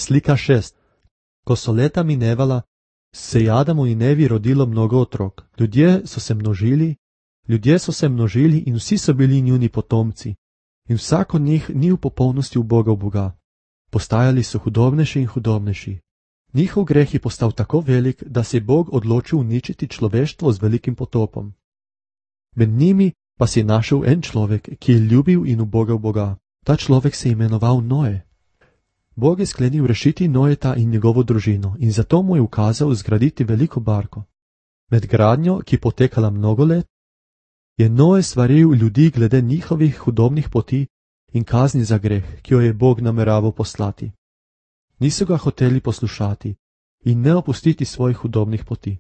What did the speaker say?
Slika 6. Ko so leta minevala, se je Adamu in Evi rodilo mnogo otrok. Ljudje so se množili in vsi so bili njuni potomci. In vsak od njih ni v popolnosti ubogal Boga. Postajali so hudobnejši in hudobnejši. Njihov greh je postal tako velik, da se je Bog odločil uničiti človeštvo z velikim potopom. Med njimi pa se je našel en človek, ki je ljubil in ubogal Boga. Ta človek se je imenoval Noe. Bog je sklenil rešiti Noeta in njegovo družino in zato mu je ukazal zgraditi veliko barko. Med gradnjo, ki potekala mnogo let, je Noe svaril ljudi glede njihovih hudobnih poti in kazni za greh, ki jo je Bog nameraval poslati. Niso ga hoteli poslušati in ne opustiti svojih hudobnih poti.